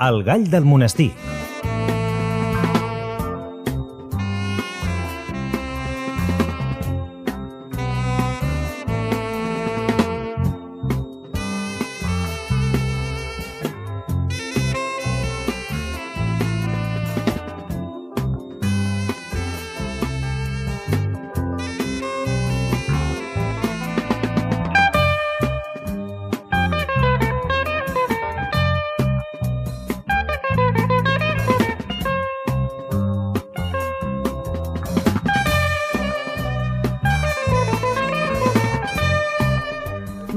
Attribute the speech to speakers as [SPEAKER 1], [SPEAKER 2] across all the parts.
[SPEAKER 1] El gall del monestir.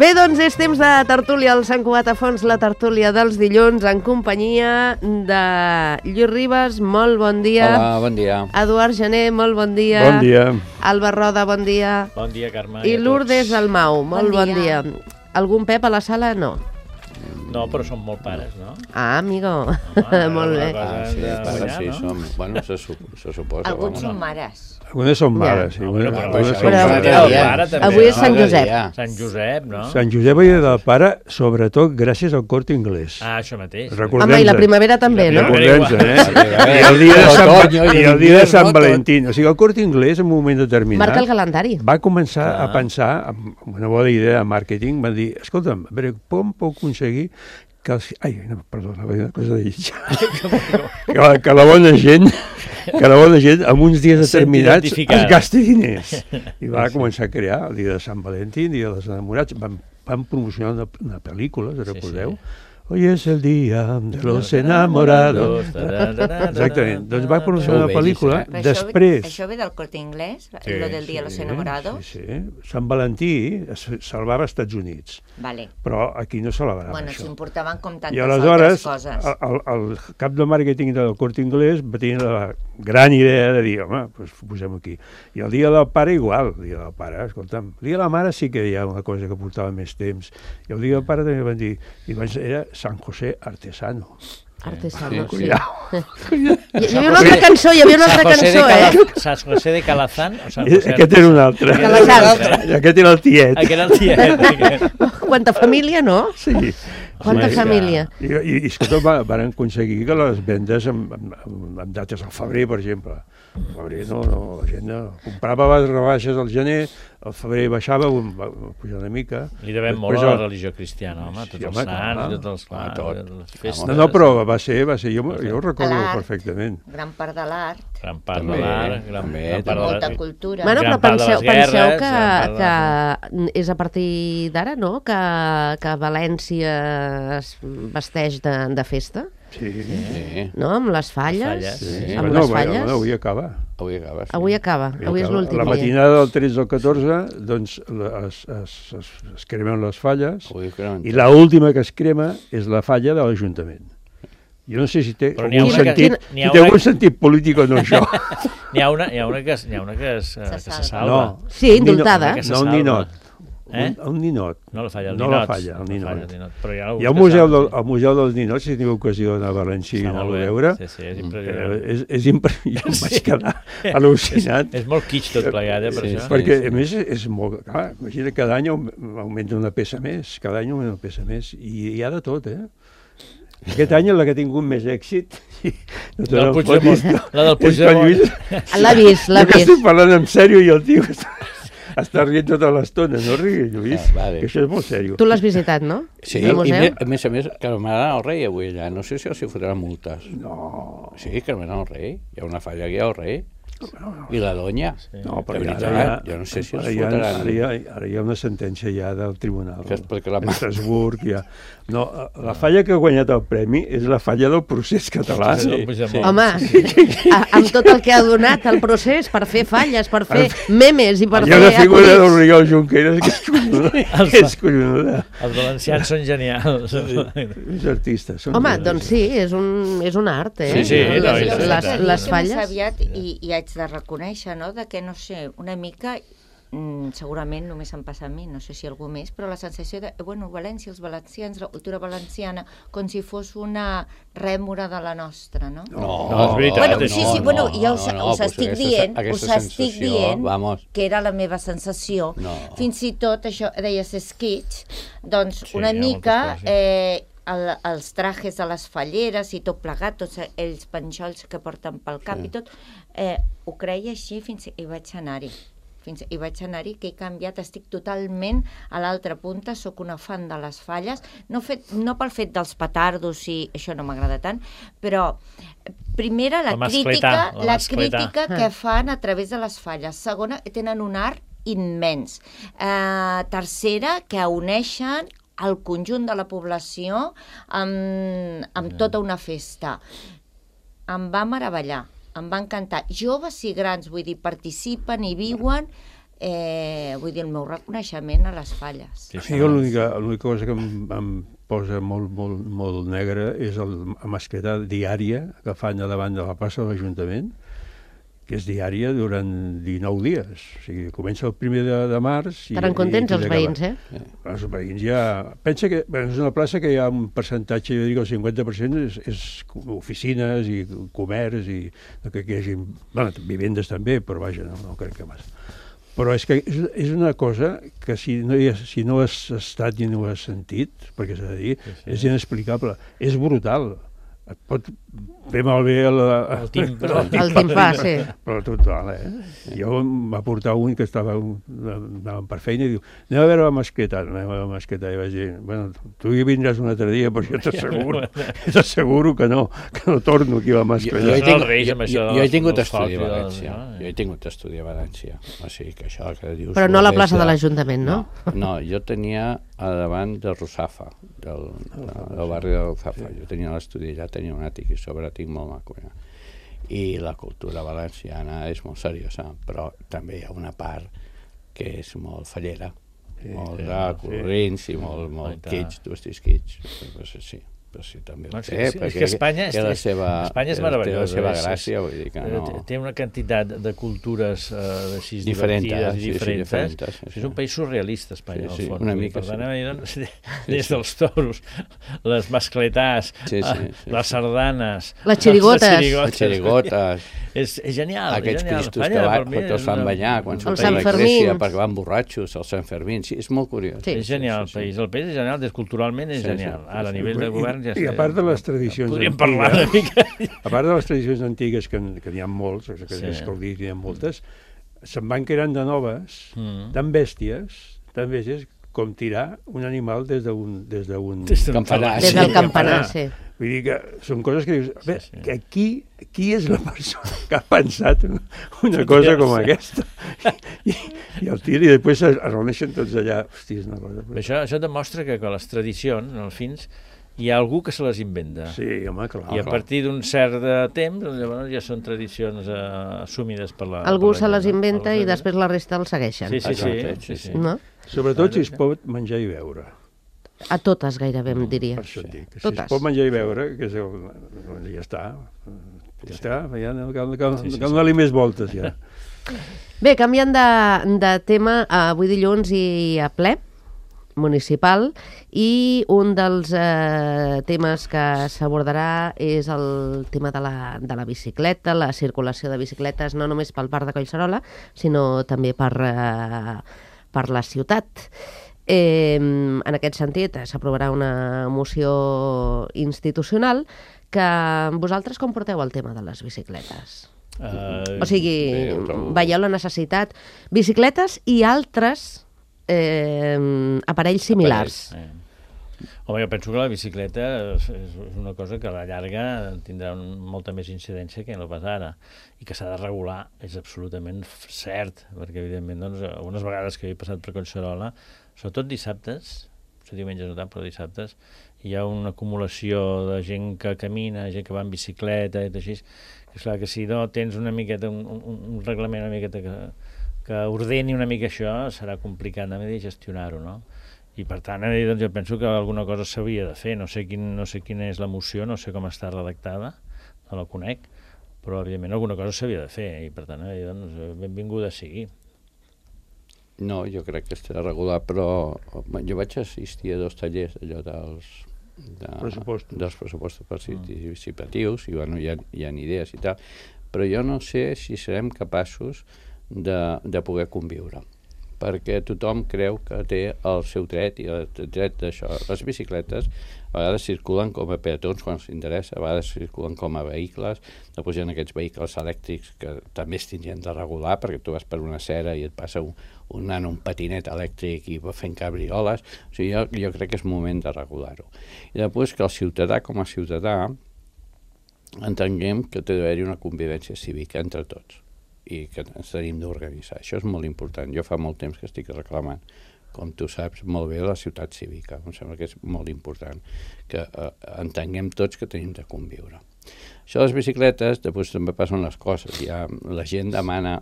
[SPEAKER 2] Bé, doncs és temps de tertúlia al Sant Cugat a Fons, la tertúlia dels dilluns, en companyia de Lluís Ribas, molt bon dia.
[SPEAKER 3] Hola, bon dia.
[SPEAKER 2] Eduard Gené, molt bon dia.
[SPEAKER 4] Bon dia.
[SPEAKER 2] Alba Roda, bon dia.
[SPEAKER 5] Bon dia, Carme.
[SPEAKER 2] I Lourdes Almau, molt bon dia. Algun Pep a la sala? No.
[SPEAKER 5] No, però som molt pares, no?
[SPEAKER 2] Ah, amigo.
[SPEAKER 5] Home,
[SPEAKER 2] molt bé.
[SPEAKER 3] Sí,
[SPEAKER 5] guanyar,
[SPEAKER 3] sí,
[SPEAKER 5] no?
[SPEAKER 3] som... Bueno, se suposa.
[SPEAKER 6] Alguns són mares.
[SPEAKER 4] Algunes són mares, sí.
[SPEAKER 2] Avui és Sant Josep.
[SPEAKER 5] Sant Josep, no?
[SPEAKER 4] Sant Josep i del Pare, sobretot gràcies al Corte Inglés.
[SPEAKER 5] Ah, això mateix.
[SPEAKER 2] Home, i la primavera també, no?
[SPEAKER 4] Recordem-se, I el dia de Sant Valentí. O sigui, el Corte Inglés, en un moment determinat...
[SPEAKER 2] Marca el calendari.
[SPEAKER 4] Va començar a pensar, amb una bona idea de màrqueting, va dir, escolta'm, a veure, com puc aconseguir que els... Ai, no, perdó, una cosa de lletja. Que la bona gent en uns dies determinats es gasti diners. I va començar a crear el dia de Sant Valentí, el dia dels enamorats. Van promocionar una pel·lícula, us recordeu? Hoy es el día de los enamorados. Exactament. Doncs va promocionar una pel·lícula. Després...
[SPEAKER 6] Això ve del Corte Inglés, lo del dia de los enamorados?
[SPEAKER 4] Sí. Sant Valentí es celebrava als Estats Units.
[SPEAKER 6] Vale.
[SPEAKER 4] Però aquí no celebrava
[SPEAKER 6] això. S'importaven com tantes
[SPEAKER 4] altres
[SPEAKER 6] coses.
[SPEAKER 4] I aleshores, el cap de màrqueting del Corte Inglés va tenir la gran idea de dir, home, doncs posem aquí. I el dia del pare igual, el dia del pare, escolta'm, el dia de la mare sí que hi ha una cosa que portava més temps. I el dia del pare també van dir, era San José Artesano.
[SPEAKER 2] Artesano, sí.
[SPEAKER 4] Cuidao.
[SPEAKER 2] Hi havia una altra cançó,
[SPEAKER 5] San José de Calazán?
[SPEAKER 4] Aquest era un altre. Aquest era el tiet.
[SPEAKER 5] Aquest era el tiet.
[SPEAKER 2] Quanta família, no?
[SPEAKER 4] Sí.
[SPEAKER 2] Quanta família.
[SPEAKER 4] I escolta, van aconseguir que les vendes amb dates al febrer, per exemple. Al febrer la gent comprava les rebaixes al gener, al febrer baixava, va pujar una mica.
[SPEAKER 5] Li devem molt a la religió cristiana, home, tots els sants, tots les festes.
[SPEAKER 4] No, però va ser, jo ho recordo perfectament.
[SPEAKER 6] Gran part de l'art.
[SPEAKER 5] Gran part de l'art,
[SPEAKER 6] molta cultura.
[SPEAKER 2] Bueno, però penseu que és a partir d'ara, no?, que València es vesteix de festa.
[SPEAKER 4] Sí.
[SPEAKER 2] No? Amb les falles.
[SPEAKER 4] Sí.
[SPEAKER 2] Amb les falles.
[SPEAKER 4] Avui acaba.
[SPEAKER 2] Avui és l'últim dia.
[SPEAKER 4] La matinada del 13 al 14, doncs, es cremen les falles, i l'última que es crema és la falla de l'Ajuntament. Jo no sé si té algun sentit polític o no, això.
[SPEAKER 5] N'hi ha una que se salva.
[SPEAKER 2] Sí, indultada.
[SPEAKER 4] No, un ninot. Un ninot.
[SPEAKER 5] No la falla, el ninot.
[SPEAKER 4] Hi ha un museu dels ninots, si teniu ocasió d'anar a València i anar-lo a veure.
[SPEAKER 5] Sí, és impressionant.
[SPEAKER 4] És impressionant. Jo em vaig quedar al·lucinat.
[SPEAKER 5] És molt kitsch tot plegat, per això.
[SPEAKER 4] Perquè, a més, és molt... Clar, imagina, cada any augmenta una peça més. Cada any augmenta una peça més. I hi ha de tot, Aquest any la que ha tingut més èxit...
[SPEAKER 5] La del Puigdemont.
[SPEAKER 2] L'ha vist.
[SPEAKER 4] Estic parlant en sèrio i el tio està rient tota l'estona, no riguis, Lluís, que això és molt sèrio.
[SPEAKER 2] Tu l'has visitat, no?
[SPEAKER 3] Sí, i a més, que m'agrada el rei avui allà, no sé si els fotran multes.
[SPEAKER 4] No.
[SPEAKER 3] Sí, que m'agrada el rei, hi ha una falla aquí al rei. I la donya.
[SPEAKER 4] No, però
[SPEAKER 3] jo no sé si els fotran.
[SPEAKER 4] Ara hi ha una sentència ja del tribunal d'Estrasburg. No, la falla que ha guanyat el premi és la falla del procés català.
[SPEAKER 2] Home, amb tot el que ha donat el procés per fer falles, per fer memes i per fer...
[SPEAKER 4] Hi ha una figura d'Oriol Junqueras que és collonuda.
[SPEAKER 5] Els valencians són genials.
[SPEAKER 4] Els artistes.
[SPEAKER 2] Home, doncs sí, és un art,
[SPEAKER 5] Sí,
[SPEAKER 2] les falles.
[SPEAKER 6] I haig de reconèixer, no?, de que, no sé, una mica, segurament només em passa a mi, no sé si algú més, però la sensació de, València, els valencians, la cultura valenciana, com si fos una rèmora de la nostra, no?
[SPEAKER 5] No, és veritat.
[SPEAKER 6] Ja us estic dient que era la meva sensació. Fins i tot, això, deies esquitx, doncs una mica... els trajes de les falleres i tot plegat, tots ells penjolls que porten pel cap i tot, ho creia així fins hi vaig anar-hi. Que he canviat, estic totalment a l'altra punta, sóc una fan de les falles, no pel fet dels petardos, i això no m'agrada tant, però primera, la crítica que fan a través de les falles. Segona, tenen un art immens. Tercera, que uneixen el conjunt de la població amb tota una festa. Em va meravellar. Em va encantar. Joves i grans, vull dir, participen i viuen, vull dir, el meu reconeixement a les falles.
[SPEAKER 4] L'única cosa que em posa molt negra és la mascleta diària que fan a davant de la plaça de l'Ajuntament, que és diària durant 19 dies. O sigui, comença el 1 de març...
[SPEAKER 2] Estaran contents els veïns,
[SPEAKER 4] Els veïns ja... Pensa que és una plaça que hi ha un percentatge, jo dic el 50% és oficines i comerç i que hi hagi... vivendes també, però vaja, no crec que més. Però és que és una cosa que si no has estat i no has sentit, perquè s'ha de dir, és inexplicable, és brutal. Et pot fer malbé el
[SPEAKER 2] timpà, sí.
[SPEAKER 4] Però total, Jo em va portar un que anàvem per feina i diu, anem a veure la mascleta. I vaig dir, bueno, tu hi vindràs un altre dia, però jo t'asseguro que no torno aquí a la mascleta.
[SPEAKER 3] Jo he tingut estudi a València. O sigui que això que dius...
[SPEAKER 2] Però no a la plaça de l'Ajuntament, no?
[SPEAKER 3] No, jo tenia a davant de Russafa, del barri de Russafa. Jo tenia l'estudi allà, tenia un àtic i sobre tinc molt maco. I la cultura valenciana és molt seriosa, però també hi ha una part que és molt fallera, molt de colorins i molt kitsch, tu estàs kitsch. Sí. Però sí, també ho té,
[SPEAKER 5] perquè Espanya és meravellosa.
[SPEAKER 3] Té la seva gràcia, vull dir que no...
[SPEAKER 5] Té una quantitat de cultures divertides i diferents. És un país surrealista, Espanya, al fons.
[SPEAKER 3] Una mica,
[SPEAKER 5] per tant, des dels toros, les mascletàs, les sardanes...
[SPEAKER 2] Les xirigotes.
[SPEAKER 5] És genial.
[SPEAKER 3] Aquests cristos que tots fan banyar quan surten a l'església perquè van borratxos, els Sant Fermín. Sí, és molt curiós.
[SPEAKER 5] És genial el país. El país és genial, culturalment és genial. Ara, a nivell de govern
[SPEAKER 4] I a part de les tradicions
[SPEAKER 5] podríem parlar una mica.
[SPEAKER 4] A part de les tradicions antigues, que n'hi ha molts, que n'hi ha moltes, se'n van creant de noves, tan bèsties, com tirar un animal des d'un
[SPEAKER 3] campanar.
[SPEAKER 2] Des del campanar, sí.
[SPEAKER 4] Vull dir que són coses que dius, qui és la persona que ha pensat una cosa com aquesta? I el tira i després es reuneixen tots allà. Hosti, és una cosa...
[SPEAKER 5] Això demostra que les tradicions, al fins, hi ha algú que se les inventa.
[SPEAKER 4] Sí, home, clar.
[SPEAKER 5] I a partir d'un cert temps, llavors ja són tradicions assumides per la...
[SPEAKER 2] Algú se les inventa i després la resta el segueixen.
[SPEAKER 5] Sí.
[SPEAKER 2] No?
[SPEAKER 4] Sobretot si es pot menjar i beure.
[SPEAKER 2] A totes gairebé, em diria.
[SPEAKER 4] Per això et dic. Si es pot menjar i beure, ja està. Ja no cal donar-li més voltes, ja.
[SPEAKER 2] Bé, canviant de tema, avui dilluns i a ple municipal, i un dels temes que s'abordarà és el tema de la bicicleta, la circulació de bicicletes, no només pel parc de Collserola, sinó també per la ciutat. En aquest sentit, s'aprovarà una moció institucional que vosaltres com porteu el tema de les bicicletes? O sigui, veieu la necessitat... Bicicletes i altres aparells similars.
[SPEAKER 5] Home, jo penso que la bicicleta és una cosa que a la llarga tindrà molta més incidència que no pas ara, i que s'ha de regular, és absolutament cert, perquè evidentment algunes vegades que he passat per Collserola, sobretot dissabtes, diumenges no tant, però dissabtes, hi ha una acumulació de gent que camina, gent que va en bicicleta i així, que és clar que si no tens una miqueta, un reglament una miqueta que ordeni una mica això, serà complicat de gestionar-ho, no? I per tant, jo penso que alguna cosa s'hauria de fer. No sé quina és la moció, no sé com està redactada, no la conec, però evidentment alguna cosa s'havia de fer i per tant, benvinguda sigui.
[SPEAKER 3] No, jo crec que està regular, però jo vaig assistir a 2 tallers allò dels pressupostos participatius i bueno, hi ha idees i tal, però jo no sé si serem capaços de poder conviure, perquè tothom creu que té el seu dret i el dret d'això. Les bicicletes a vegades circulen com a peatons quan s'interessa, a vegades circulen com a vehicles, després hi ha aquests vehicles elèctrics que també es tindrien de regular, perquè tu vas per una acera i et passa un nano, un patinet elèctric i va fent cabrioles. O sigui, jo crec que és moment de regular-ho. I després que el ciutadà com a ciutadà entenguem que té d'haver-hi una convivència cívica entre tots i que ens tenim d'organitzar. Això és molt important. Jo fa molt temps que estic reclamant, com tu saps molt bé, la ciutat cívica. Em sembla que és molt important que entenguem tots que tenim de conviure. Això de les bicicletes, després també passen les coses. La gent demana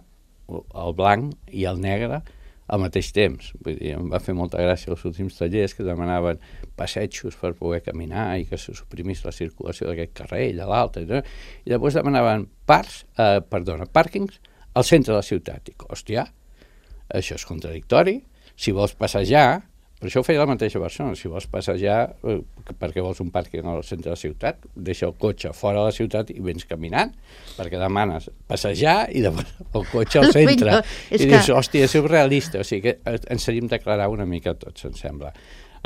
[SPEAKER 3] el blanc i el negre al mateix temps. Vull dir, em va fer molta gràcia els últims tallers que demanaven passejos per poder caminar i que se suprimís la circulació d'aquest carrer i de l'altre. I després demanaven pàrquings al centre de la ciutat. Dic, hòstia, això és contradictori. Si vols passejar, per això ho feia la mateixa persona, si vols passejar, perquè vols un pàrquing al centre de la ciutat, deixa el cotxe fora de la ciutat i vens caminant, perquè demanes passejar i després el cotxe al centre. I dius, hòstia, és surrealista. O sigui que ens hauríem d'aclarar una mica tots, em sembla.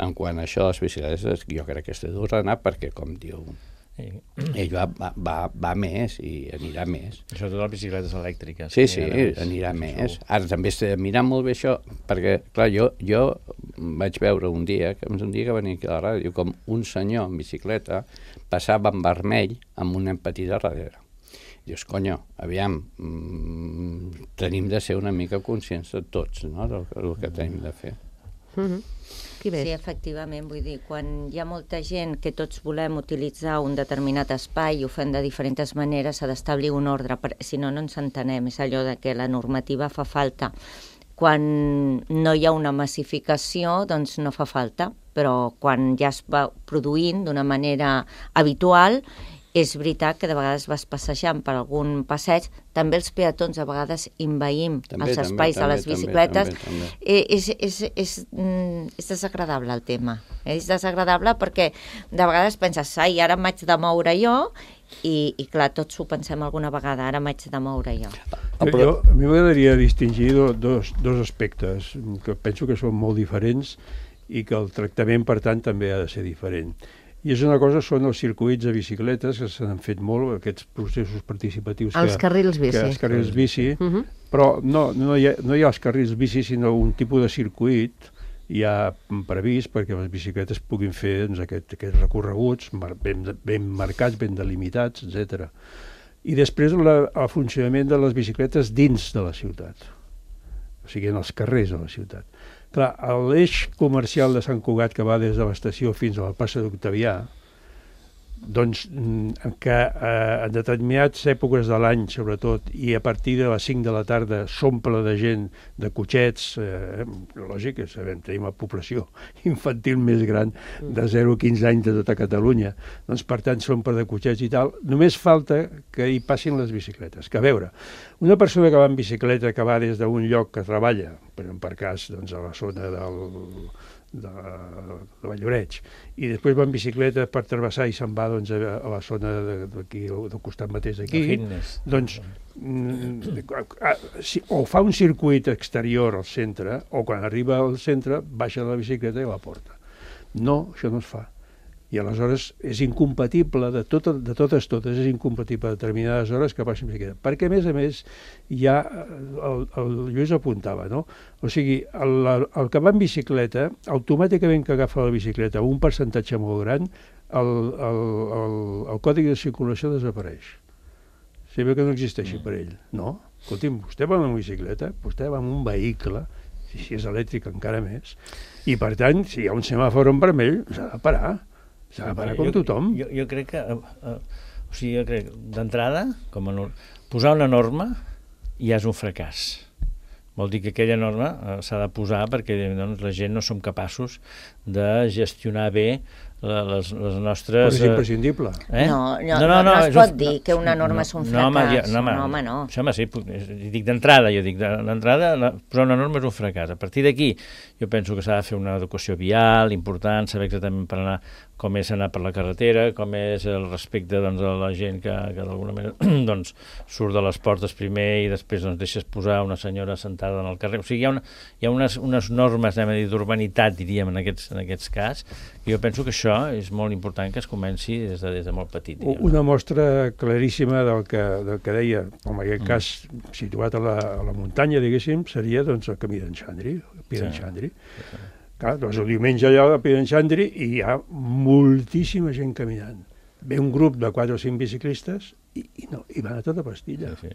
[SPEAKER 3] En quant a això de les bicicletes, jo crec que és d'ordenar perquè, com diu, ell va més i anirà més.
[SPEAKER 5] Sobretot les bicicletes elèctriques.
[SPEAKER 3] Sí, anirà més. Ara també s'ha de mirar molt bé això, perquè, clar, jo vaig veure un dia que venia aquí a la ràdio, com un senyor en bicicleta passava en vermell amb una petita darrere. Dius, conyo, aviam, tenim de ser una mica conscients de tots, no?, del que tenim de fer.
[SPEAKER 6] Sí, efectivament, vull dir, quan hi ha molta gent que tots volem utilitzar un determinat espai i ho fem de diferents maneres, s'ha d'establir un ordre, si no, no ens entenem. És allò de que la normativa fa falta. Quan no hi ha una massificació, doncs no fa falta, però quan ja es va produint d'una manera habitual, és veritat que de vegades vas passejant per algun passeig, també els peatons a vegades envaïm els espais de les bicicletes. És desagradable el tema. És desagradable perquè de vegades penses, ai, ara m'haig de moure jo, i clar, tots ho pensem alguna vegada, ara m'haig de moure jo.
[SPEAKER 4] A mi m'agradaria distingir dos aspectes que penso que són molt diferents i que el tractament, per tant, també ha de ser diferent. I és una cosa, són els circuits de bicicletes, que s'han fet molt, aquests processos participatius.
[SPEAKER 2] Els carrils bici.
[SPEAKER 4] Els carrils bici, però no hi ha els carrils bici, sinó un tipus de circuit ja previst perquè les bicicletes puguin fer aquests recorreguts ben marcats, ben delimitats, etc. I després el funcionament de les bicicletes dins de la ciutat, o sigui, en els carrers de la ciutat. Clar, l'eix comercial de Sant Cugat que va des de l'estació fins a la plaça d'Octavià, doncs que en determinades èpoques de l'any, sobretot, i a partir de les 5 de la tarda s'omple de gent, de cotxets, lògic, sabem, tenim la població infantil més gran de 0 a 15 anys de tota Catalunya, doncs per tant s'omple de cotxets i tal, només falta que hi passin les bicicletes. Que a veure, una persona que va en bicicleta, que va des d'un lloc que treballa, per cas, doncs a la zona de Valloreig, i després va en bicicleta per travessar i se'n va doncs, a la zona d'aquí, del costat mateix d'aquí, doncs o fa un circuit exterior al centre, o quan arriba al centre baixa de la bicicleta i la porta. No, això no es fa. I aleshores és incompatible, de totes, és incompatible a determinades hores que passi bicicleta. Perquè, a més, ja el Lluís apuntava, no? O sigui, el que va en bicicleta, automàticament que agafa la bicicleta un percentatge molt gran, el codi de circulació desapareix. Si bé que no existeixi per ell. No, escolti'm, vostè va amb bicicleta, vostè va amb un vehicle, si és elèctric encara més, i per tant, si hi ha un semàfor en vermell, s'ha de parar. S'ha de parar com tothom.
[SPEAKER 5] Jo crec que, d'entrada, posar una norma ja és un fracàs. Vol dir que aquella norma s'ha de posar perquè doncs, la gent no som capaços de gestionar bé les
[SPEAKER 4] Però
[SPEAKER 5] nostres...
[SPEAKER 4] és imprescindible.
[SPEAKER 6] No es pot dir que una norma és un fracàs. No.
[SPEAKER 5] Això, sí, dic d'entrada, posar una norma és un fracàs. A partir d'aquí, jo penso que s'ha de fer una educació vial important, saber exactament per anar, com és anar per la carretera, com és el respecte a la gent que d'alguna manera doncs, surt de les portes primer i després deixes posar una senyora sentada en el carrer. O sigui, hi ha unes normes d'urbanitat, diríem, en aquests cas, i jo penso que això és molt important que es comenci des de molt petit.
[SPEAKER 4] Una mostra claríssima del que deia, en aquest cas situat a la muntanya, diguéssim, seria doncs, el camí d'en Xandri, el Pi d'en Xandri. Clar, doncs el diumenge allà al Pi d'en Xandri i hi ha moltíssima gent caminant. Ve un grup de 4 o 5 biciclistes i van a tota pastilla. Sí.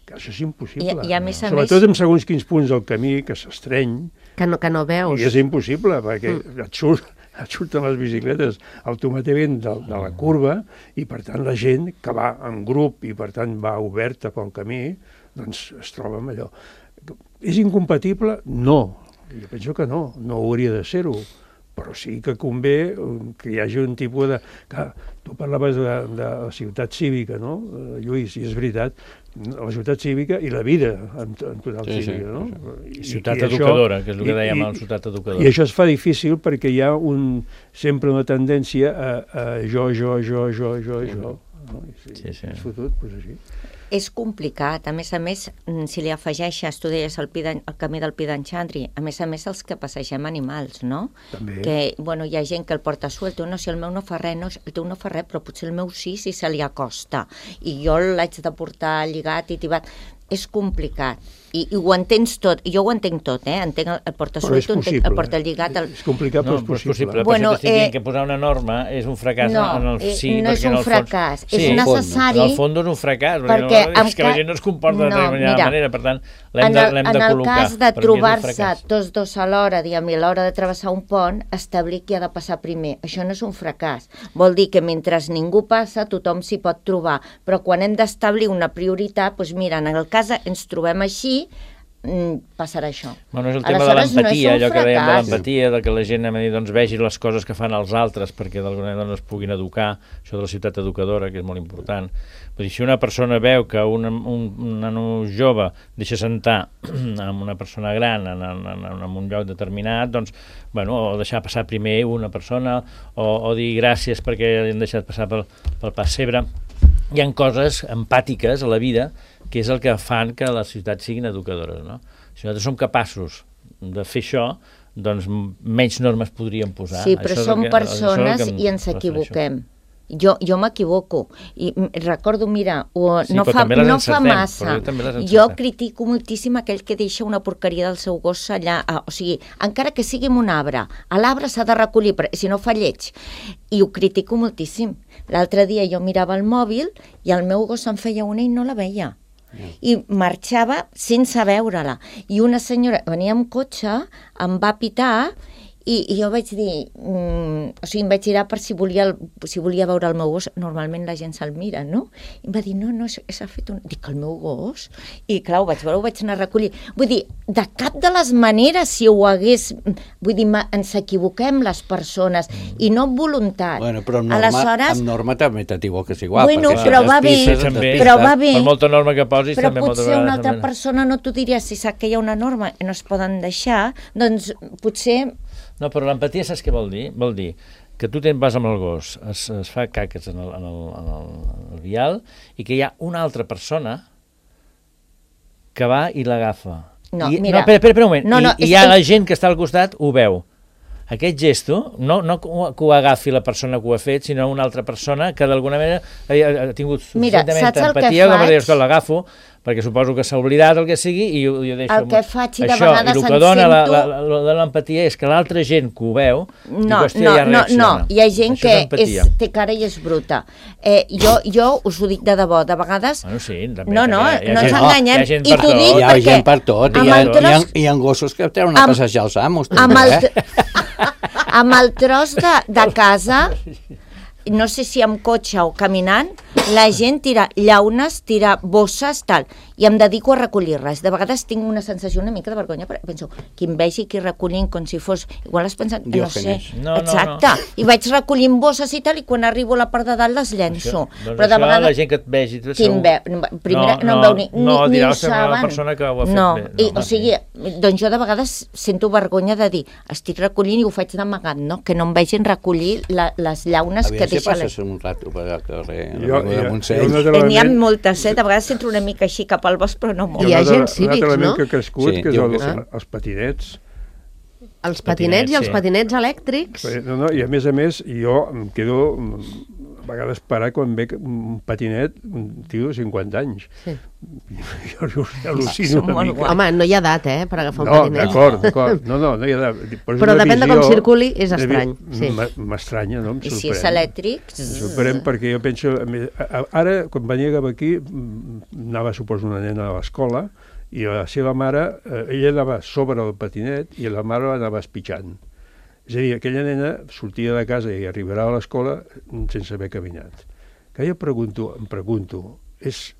[SPEAKER 4] Això és impossible.
[SPEAKER 6] I a més
[SPEAKER 4] sobretot en segons quins punts del camí, que s'estreny.
[SPEAKER 2] Que no veus.
[SPEAKER 4] I és impossible, perquè et surten les bicicletes automàticament de la curva i, per tant, la gent que va en grup i, per tant, va oberta pel camí, doncs es troba amb allò. És incompatible? No. Jo penso que no hauria de ser-ho. Però sí que convé que hi hagi un tipus de... Clar, tu parlaves de la ciutat cívica, no, Lluís? I és veritat, la ciutat cívica i la vida en total cívica, no?
[SPEAKER 5] Sí. Ciutat educadora, que és el que dèiem, la ciutat educadora.
[SPEAKER 4] I això es fa difícil perquè hi ha sempre una tendència a jo. No? Sí. És fotut, doncs així.
[SPEAKER 6] És complicat, a més, si li afegeixes, tu deies el camí del Pi d'en Xandri, a més els que passegem animals, no?
[SPEAKER 4] També.
[SPEAKER 6] Que, hi ha gent que el porta suelt, si el meu no fa res, el teu no fa res, però potser el meu sí, si se li acosta, i jo l'haig de portar lligat i tibat. És complicat, i ho entens tot, i jo ho entenc tot, entenc el porta-suelt, el porta-lligat...
[SPEAKER 4] És complicat, però és possible.
[SPEAKER 5] Però t'estic dient que posar una norma és un fracàs en el sí,
[SPEAKER 6] no és un fracàs, és necessari...
[SPEAKER 5] En el fons és un fracàs, perquè és que la gent no es comporta de determinada manera, per tant, l'hem de col·locar.
[SPEAKER 6] En el cas de trobar-se tots dos a l'hora, diguem, i a l'hora de travessar un pont, establir qui ha de passar primer. Això no és un fracàs. Vol dir que mentre ningú passa, tothom s'hi pot trobar, però quan hem d'establir una prioritat, doncs mira, en el cas ens trobem així, passarà això.
[SPEAKER 5] Bueno, és el tema de l'empatia, allò que dèiem de l'empatia, de que la gent vegi les coses que fan els altres perquè d'alguna manera es puguin educar, això de la ciutat educadora, que és molt important. Vull dir, si una persona veu que un nano jove deixa sentar amb una persona gran en un lloc determinat, doncs, o deixar passar primer una persona, o dir gràcies perquè han deixat passar pel pessebre. Hi ha coses empàtiques a la vida que és el que fan que les ciutats siguin educadores, no? Si nosaltres som capaços de fer això, doncs menys normes podríem posar.
[SPEAKER 6] Sí, però som persones i ens equivoquem. Jo m'equivoco i recordo, mira, no fa massa, jo critico moltíssim aquell que deixa una porqueria del seu gos allà, o sigui, encara que sigui en un arbre, a l'arbre s'ha de recollir, si no fa lleig, i ho critico moltíssim. L'altre dia jo mirava el mòbil i el meu gos se'n feia una i no la veia. I marxava sense veure-la. I una senyora venia amb cotxe, em va pitar i jo vaig dir, o sigui, em vaig girar per si volia veure el meu gos. Normalment la gent se'l mira, no? I em va dir, no, s'ha fet un... Dic, el meu gos? I clar, ho vaig veure, ho vaig anar a recollir. Vull dir, de cap de les maneres, si ho hagués... Vull dir, ens equivoquem les persones, i no amb voluntat.
[SPEAKER 3] Bueno, però amb norma també t'equivoques igual.
[SPEAKER 6] Bueno, però va bé.
[SPEAKER 5] Per molta norma que posis,
[SPEAKER 6] però
[SPEAKER 5] també molta
[SPEAKER 6] potser una altra persona no t'ho diria, si sap que hi ha una norma i no es poden deixar, doncs potser...
[SPEAKER 5] No, però l'empatia saps què vol dir? Vol dir que tu vas amb el gos, es fa caques en el vial i que hi ha una altra persona que va i l'agafa. Espera un moment. I hi ha la gent que està al costat, ho veu. Aquest gesto, no que ho agafi la persona que ho ha fet, sinó una altra persona que d'alguna manera ha tingut suficientment empatia com a dir, l'agafo, perquè suposo que s'ha oblidat el que sigui i ho deixo.
[SPEAKER 6] El que faig i de vegades
[SPEAKER 5] em sento... I el que dona de l'empatia és que l'altra gent que ho veu,
[SPEAKER 6] no, hi ha gent que té cara i és bruta. Jo us ho dic de debò, de vegades...
[SPEAKER 5] Bueno, sí,
[SPEAKER 6] no ens enganyem.
[SPEAKER 5] I t'ho
[SPEAKER 6] dic
[SPEAKER 3] perquè... Hi ha gent per tot, hi ha gossos que treuen a passejar els amos.
[SPEAKER 6] Amb el tros de casa... No sé si amb cotxe o caminant, la gent tira llaunes, tira bosses, tal. i em dedico a recollir-les. De vegades tinc una sensació una mica de vergonya, perquè penso, qui em vegi aquí recollint com si fos... Igual has pensat, no sé, exacte, i vaig recollint bosses i tal, i quan arribo a la part de dalt les llenço.
[SPEAKER 5] Doncs però de vegades... la gent que et vegi...
[SPEAKER 6] Primera, no em veu ni ho saben.
[SPEAKER 5] La persona que ho ha fet bé.
[SPEAKER 6] O sigui, doncs jo de vegades sento vergonya de dir, estic recollint i ho faig d'amagat, no? Que no em vegin recollir les llaunes que deixa...
[SPEAKER 3] Aviam si passes un rato per al carrer,
[SPEAKER 6] N'hi ha moltes, de vegades entro una mica així cap al bosc, però no molt.
[SPEAKER 2] Hi ha gent cívics, no?
[SPEAKER 4] Un altre element que ha crescut, que és els patinets.
[SPEAKER 2] Els patinets i els patinets elèctrics.
[SPEAKER 4] I a més, jo em quedo a vegades parar quan veig un patinet, un tio de 50 anys. Sí. Jo al·lucino una mica.
[SPEAKER 2] Home, no hi ha edat, per agafar un patinet.
[SPEAKER 4] D'acord. No hi ha edat.
[SPEAKER 2] Però depèn de com circuli, és estrany.
[SPEAKER 4] M'estranya, no? Em sorprèn.
[SPEAKER 6] I si és elèctric...
[SPEAKER 4] Em sorprèn perquè jo penso... Ara, quan venia cap aquí, anava, suposo, una nena a l'escola, i la seva mare, ella anava sobre el patinet i la mare l'anava espitjant. És a dir, aquella nena sortia de casa i arribarà a l'escola sense haver caminat. Que jo em pregunto,
[SPEAKER 6] no és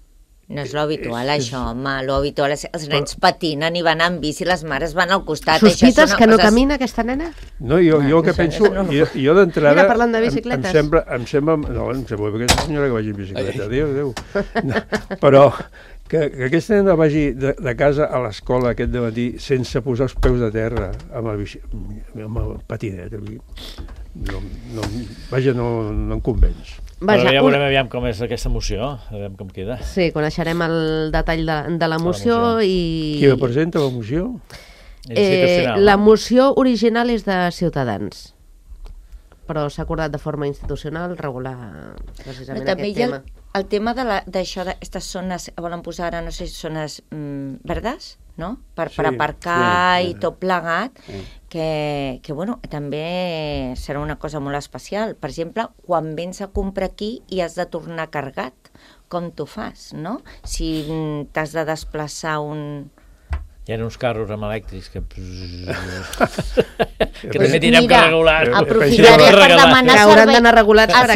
[SPEAKER 6] l'habitual, això, home. L'habitual és els nens patinen i van amb bici, les mares van al costat.
[SPEAKER 2] Sospites que no camina aquesta nena?
[SPEAKER 4] No, jo que penso... Jo d'entrada...
[SPEAKER 2] Mira, parlant de bicicletes.
[SPEAKER 4] Em sembla aquesta senyora que vagi en bicicleta. Adéu. Però que aquesta nena vagi de casa a l'escola aquest dematí sense posar els peus de terra amb el patinet. Vaja, no em convenç.
[SPEAKER 5] Però ja veurem aviam com és aquesta moció, aviam com queda.
[SPEAKER 2] Sí, coneixerem el detall de la moció i...
[SPEAKER 4] Qui la presenta, la moció?
[SPEAKER 2] La moció original és de Ciutadans, però s'ha acordat de forma institucional regular precisament aquest tema.
[SPEAKER 6] El tema d'això, d'aquestes zones, volen posar ara, no sé, zones verdes, no? Per aparcar i tot plegat, que bueno, també serà una cosa molt especial. Per exemple, quan vens a comprar aquí i has de tornar carregat, com t'ho fas, no? Si t'has de desplaçar
[SPEAKER 5] Hi ha uns carros amb elèctrics que també tindrem que regular.
[SPEAKER 6] Aprofitaré per demanar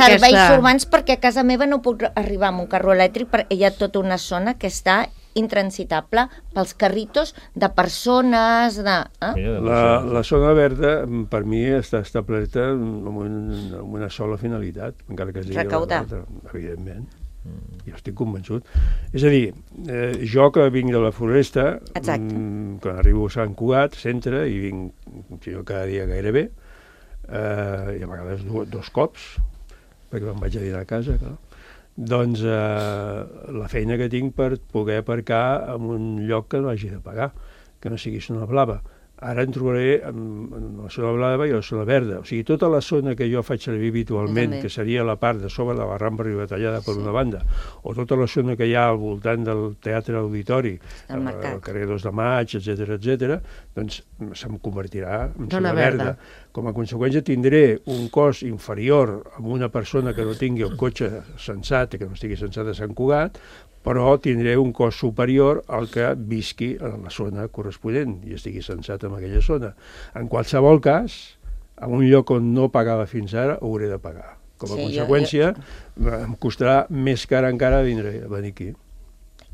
[SPEAKER 2] serveis
[SPEAKER 6] urbans perquè a casa meva no puc arribar amb un carro elèctric perquè hi ha tota una zona que està intransitable pels carritos de persones...
[SPEAKER 4] La zona verda, per mi, està establerta amb una sola finalitat, encara que es digui
[SPEAKER 6] recaudar.
[SPEAKER 4] Evidentment. Jo estic convençut. És a dir, jo que vinc de la Floresta, quan arribo a Sant Cugat, centre, i vinc cada dia gairebé, i a vegades 2 cops, perquè me'n vaig a dinar a casa, clar. Doncs la feina que tinc per poder aparcar en un lloc que no hagi de pagar, que no sigui zona blava. Ara em trobaré en la zona blava i la zona verda. O sigui, tota la zona que jo faig servir habitualment, que seria la part de sobre de la Rambla Ribatallada per una banda, o tota la zona que hi ha al voltant del Teatre Auditori, al carrer 2 de Maig, etc., doncs se'm convertirà en zona verda. Com a conseqüència tindré un cost inferior a una persona que no tingui el cotxe sensat, que no estigui sensat a Sant Cugat, però tindré un cost superior al que visqui a la zona corresponent i estigui sensat en aquella zona. En qualsevol cas, en un lloc on no pagava fins ara, hauré de pagar. Com a conseqüència, em costarà més car encara venir aquí.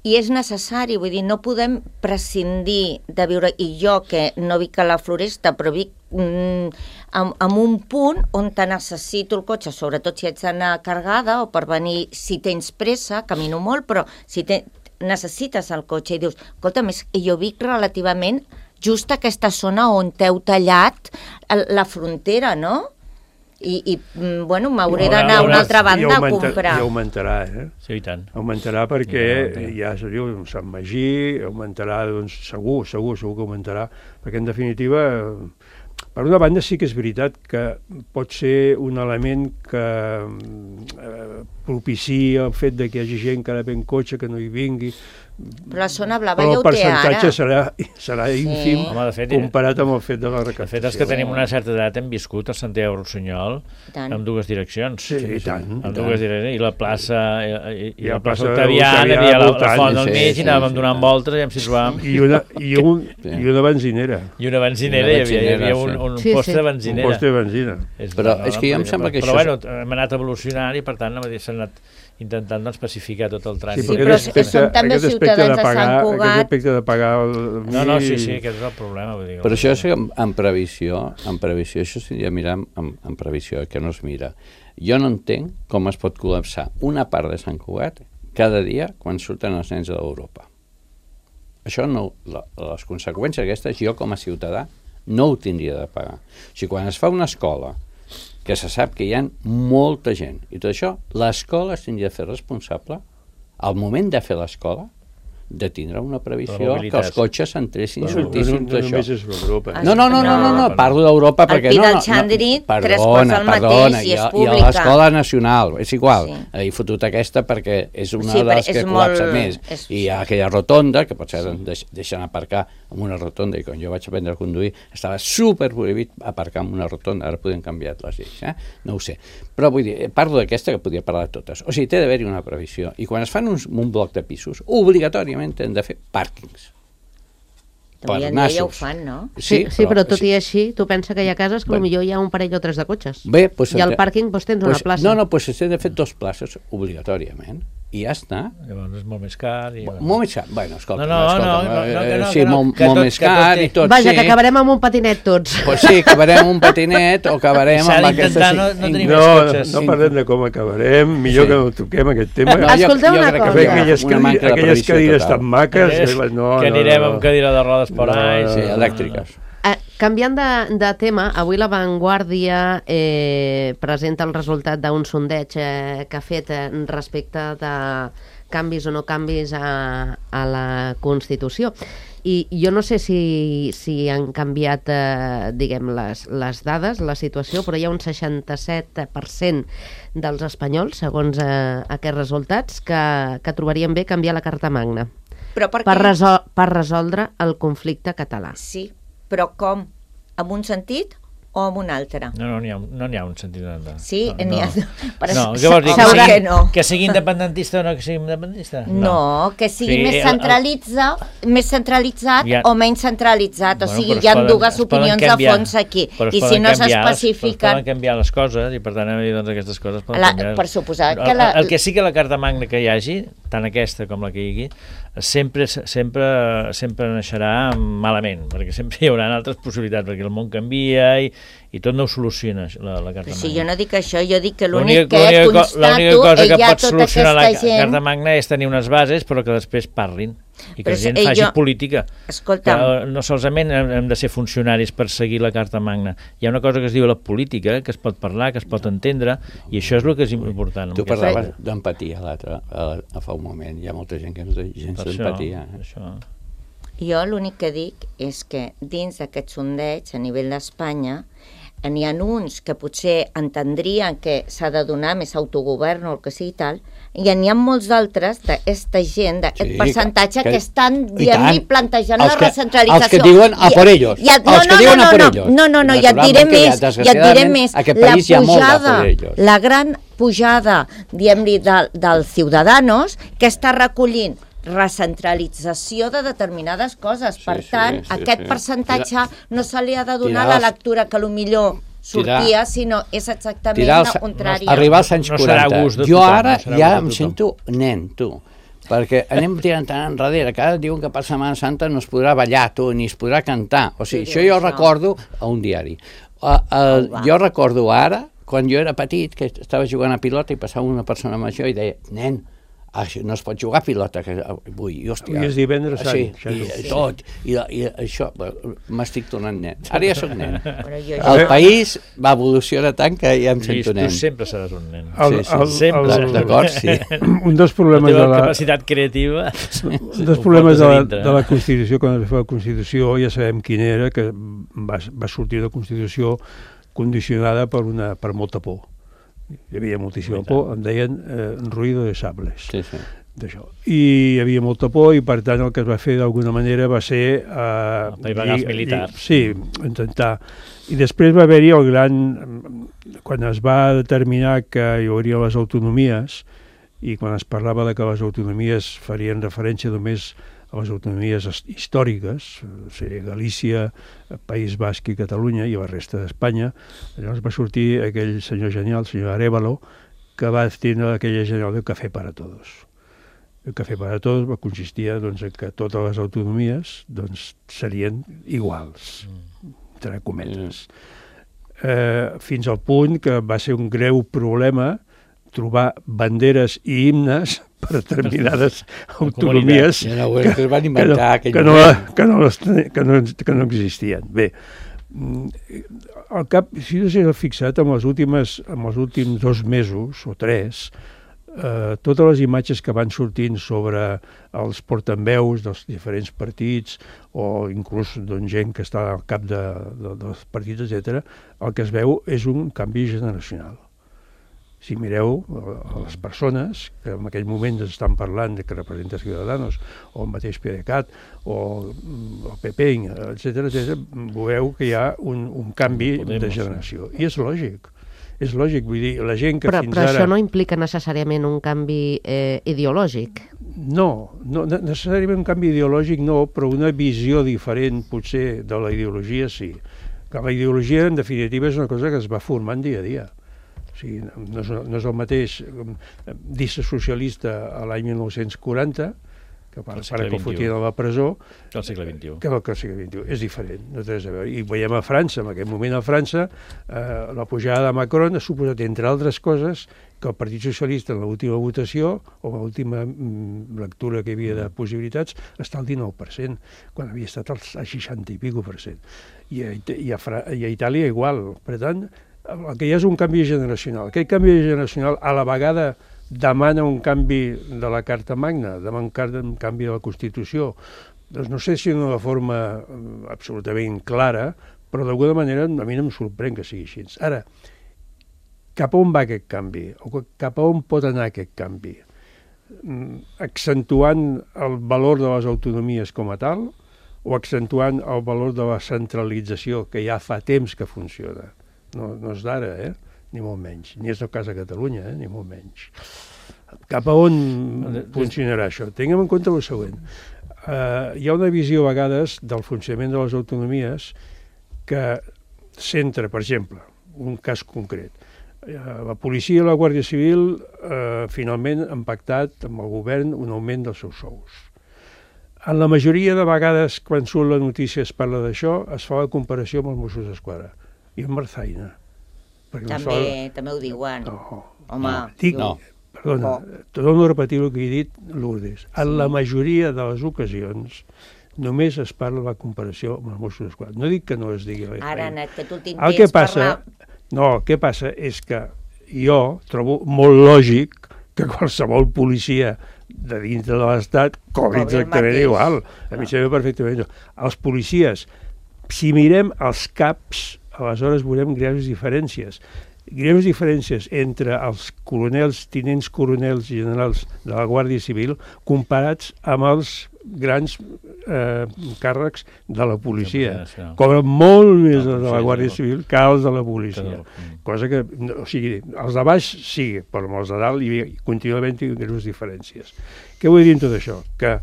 [SPEAKER 6] I és necessari, vull dir, no podem prescindir de viure, i jo que no vic a la Floresta, però vic en un punt on te necessito el cotxe, sobretot si haig d'anar carregada o per venir, si tens pressa, camino molt, però si necessites el cotxe i dius, escolta, jo vic relativament just a aquesta zona on t'heu tallat la frontera, no? I bueno, m'hauré d'anar a una altra banda a comprar.
[SPEAKER 4] I augmentarà,
[SPEAKER 5] Sí, i tant.
[SPEAKER 4] Augmentarà perquè ja seria Sant Magí, augmentarà, doncs segur que augmentarà, perquè en definitiva, per una banda sí que és veritat que pot ser un element que propiciï el fet que hi hagi gent que ara ve en cotxe, que no hi vingui,
[SPEAKER 6] però la zona blava ja ho té ara.
[SPEAKER 4] Però el percentatge serà ínfim comparat amb el fet de la recaptació.
[SPEAKER 5] De fet, els que tenim una certa edat hem viscut a Santiago Rossinyol amb 2 direccions.
[SPEAKER 4] Sí, i tant.
[SPEAKER 5] Amb 2 direccions. I la plaça Octaviana, hi havia la font al mig, i anàvem donant voltes i em situàvem.
[SPEAKER 4] I una benzinera.
[SPEAKER 5] I una benzinera, hi havia un post de benzinera.
[SPEAKER 4] Un post de benzina.
[SPEAKER 3] Però és que jo em sembla que
[SPEAKER 5] això... Però bueno, hem anat evolucionant i per tant s'ha anat intentant especificar tot el trànsit.
[SPEAKER 6] Sí, però som també ciutadans. ciutadans de Sant Cugat...
[SPEAKER 4] Aquest aspecte de pagar...
[SPEAKER 5] No, sí, aquest és el problema. Vull dir,
[SPEAKER 3] però això és en previsió, això s'hauria de mirar en previsió, que no es mira. Jo no entenc com es pot col·lapsar una part de Sant Cugat cada dia quan surten els nens d'Europa. Això no, les conseqüències aquestes, jo com a ciutadà no ho tindria de pagar. O sigui, quan es fa una escola que se sap que hi ha molta gent i tot això, l'escola es tindria de fer responsable al moment de fer l'escola de tindre una previsió que els cotxes entressin i sortissin tot això. No, parlo d'Europa perquè
[SPEAKER 6] no... El Pi del Xandri, 3 quarts al mateix i és pública.
[SPEAKER 3] I a l'Escola Nacional, és igual. He fotut aquesta perquè és una de les que col·lapsa més. I hi ha aquella rotonda, que potser deixen aparcar en una rotonda, i quan jo vaig aprendre a conduir estava superprohibit aparcar en una rotonda, ara podem canviar les lleis, no ho sé. Però vull dir, parlo d'aquesta que podria parlar de totes. O sigui, té d'haver-hi una previsió. I quan es fan un bloc de pisos, obligatòriament hem de fer pàrquings.
[SPEAKER 6] Avui en dia ja ho fan, no?
[SPEAKER 2] Sí, però tot i així, tu pensa que hi ha cases que potser hi ha un parell o 3 de cotxes.
[SPEAKER 3] Bé,
[SPEAKER 2] i al pàrquing tens una plaça.
[SPEAKER 3] No, doncs s'ha de fer 2 places obligatòriament. I ja està.
[SPEAKER 5] Llavors és molt més car.
[SPEAKER 3] Molt més car. Bueno, escolta.
[SPEAKER 5] Sí,
[SPEAKER 3] molt més car i tot.
[SPEAKER 2] Vaja, que acabarem amb un patinet tots.
[SPEAKER 3] Pues sí, acabarem amb un patinet o acabarem amb aquesta...
[SPEAKER 4] No parlem de com acabarem, millor que no toquem aquest tema.
[SPEAKER 2] Escolteu una cosa.
[SPEAKER 4] Aquelles cadires tan maques...
[SPEAKER 5] Que anirem amb cadira de rodes per ahí.
[SPEAKER 3] Sí, elèctriques.
[SPEAKER 2] Canviant de tema, avui La Vanguardia presenta el resultat d'un sondeig que ha fet respecte de canvis o no canvis a la Constitució. I jo no sé si han canviat, diguem, les dades, la situació, però hi ha un 67% dels espanyols, segons aquests resultats, que trobarien bé canviar la Carta Magna per resoldre el conflicte català.
[SPEAKER 6] Sí, però com? En un sentit o en un altre?
[SPEAKER 5] No n'hi ha un sentit.
[SPEAKER 6] Sí, n'hi ha...
[SPEAKER 5] No, què vols dir? Que sigui independentista o no que sigui independentista?
[SPEAKER 6] No, que sigui més centralitzat o menys centralitzat. O sigui, hi ha dues opinions de fons aquí. I si no s'especifiquen...
[SPEAKER 5] Poden canviar les coses i per tant aquestes coses poden canviar.
[SPEAKER 6] Per suposar que
[SPEAKER 5] el que sí que la Carta Magna que hi hagi, tant aquesta com la que hi hagi, sempre naixerà malament, perquè sempre hi haurà altres possibilitats, perquè el món canvia i tot no ho soluciona la Carta Magna.
[SPEAKER 6] Sí, jo no dic això, jo dic que l'únic que constato
[SPEAKER 5] cosa que pot solucionar la Carta Magna és tenir unes bases però que després parlin i que la gent faci política.
[SPEAKER 6] Escolta'm,
[SPEAKER 5] no solament hem de ser funcionaris per seguir la Carta Magna. Hi ha una cosa que es diu la política, que es pot parlar, que es pot entendre, i això és el que és important.
[SPEAKER 3] Tu parlaves d'empatia fa un moment. Hi ha molta gent que no té gens d'empatia.
[SPEAKER 6] Jo l'únic que dic és que dins d'aquest sondeig a nivell d'Espanya n'hi ha uns que potser entendrien que s'ha de donar més autogovern o el que sigui tal, i n'hi ha molts d'altres d'aquesta gent, d'aquest percentatge que estan, diguem-ne, plantejant la recentralització.
[SPEAKER 3] Els que diuen a por ellos.
[SPEAKER 6] No, ja et diré més. La gran pujada, diguem-ne, dels Ciudadanos, que està recollint recentralització de determinades coses. Per tant, aquest percentatge no se li ha de donar la lectura que potser sortia, sinó és exactament la contrària.
[SPEAKER 3] Arribar als anys 40. Jo ara ja em sento nen, tu. Perquè anem tirant tant enrere, que ara diuen que per Setmana Santa no es podrà ballar, tu, ni es podrà cantar. O sigui, això jo recordo a un diari. Jo recordo ara, quan jo era petit, que estava jugant a pilota i passava una persona major i deia, nen, no es pot jugar a pilota avui, hòstia.
[SPEAKER 4] Avui és divendres sant.
[SPEAKER 3] I tot, i això, m'estic tornant nen. Ara ja soc nen. El país va evolucionar tant que ja em sento nen.
[SPEAKER 5] Tu sempre seràs un nen.
[SPEAKER 3] Sempre, d'acord, sí.
[SPEAKER 4] Un dels problemes
[SPEAKER 5] de la capacitat creativa.
[SPEAKER 4] Un dels problemes de la Constitució, quan es fa la Constitució, ja sabem quin era, que va sortir de la Constitució condicionada per molta por. Hi havia moltíssima por, en deien ruido de sables. D'això. I hi havia molta por i per tant el que es va fer d'alguna manera va ser...
[SPEAKER 5] apaivagar els militars.
[SPEAKER 4] Sí, intentar. I després va haver-hi el gran... Quan es va determinar que hi hauria les autonomies i quan es parlava de que les autonomies farien referència només a les autonomies històriques, seria Galícia, País Basc i Catalunya i la resta d'Espanya, llavors va sortir aquell senyor genial, el senyor Arévalo, que va tindre aquella genial del cafè para todos. El Cafè para Todos consistia en que totes les autonomies serien iguals, entre cometes. Fins al punt que va ser un greu problema trobar banderes i himnes per determinades autonomies que no existien. Bé, al cap, si no s'ha fixat, en els últims 2 mesos o 3, totes les imatges que van sortint sobre els portaveus dels diferents partits o inclús gent que està al cap dels partits, etc., el que es veu és un canvi generacional. Si mireu les persones que en aquell moment ens estan parlant que representa Ciudadanos o el mateix PDeCAT o el PP, etc., veureu que hi ha un canvi de generació. I és lògic. És lògic, vull dir, la gent que fins ara...
[SPEAKER 2] Però això no implica necessàriament un canvi ideològic?
[SPEAKER 4] No, necessàriament un canvi ideològic no, però una visió diferent potser de la ideologia sí. Que la ideologia, en definitiva, és una cosa que es va formant dia a dia. O sigui, no és el mateix dir-se socialista a l'any 1940, que pare que ho fotien a la presó,
[SPEAKER 5] que al segle XXI.
[SPEAKER 4] Que al segle XXI. És diferent, no té res a veure. I veiem a França, en aquest moment a França, la pujada de Macron ha suposat, entre altres coses, que el Partit Socialista en l'última votació, o l'última lectura que hi havia de possibilitats, està al 19%, quan havia estat al 60 i pico %. I a Itàlia igual. Per tant, el que hi ha és un canvi generacional. Aquest canvi generacional a la vegada demana un canvi de la Carta Magna, demana un canvi de la Constitució. Doncs no sé si d'una forma absolutament clara, però d'alguna manera a mi no em sorprèn que sigui així. Ara, cap a on va aquest canvi? O cap a on pot anar aquest canvi? Accentuant el valor de les autonomies com a tal o accentuant el valor de la centralització que ja fa temps que funciona? No és d'ara, ni molt menys. Ni és el cas de Catalunya, ni molt menys. Cap a on funcionarà això? Tinguem en compte el següent. Hi ha una visió a vegades del funcionament de les autonomies que centra, per exemple, un cas concret. La policia i la Guàrdia Civil finalment han pactat amb el govern un augment dels seus sous. En la majoria de vegades, quan surt la notícia es parla d'això, es fa la comparació amb els Mossos d'Esquadra. I amb Marzaina.
[SPEAKER 6] També ho diuen. Home,
[SPEAKER 4] perdona, torno a repetir el que he dit, Lourdes. En la majoria de les ocasions només es parla de la comparació amb els Mossos d'Esquadra. No dic que no es digui.
[SPEAKER 6] Ara, Nat, que tu t'intents parlar...
[SPEAKER 4] No, el que passa és que jo trobo molt lògic que qualsevol policia de dintre de l'Estat cobri exactament igual. A mi sembla perfectament. Els policies, si mirem els caps, aleshores veurem greus diferències. Greus diferències entre els coronels, tinents coronels i generals de la Guàrdia Civil comparats amb els grans càrrecs de la policia. Cobren molt més de la Guàrdia Civil que els de la policia. Cosa que, o sigui, els de baix sí, però amb els de dalt hi continua havent-hi greus diferències. Què vull dir amb tot això? Que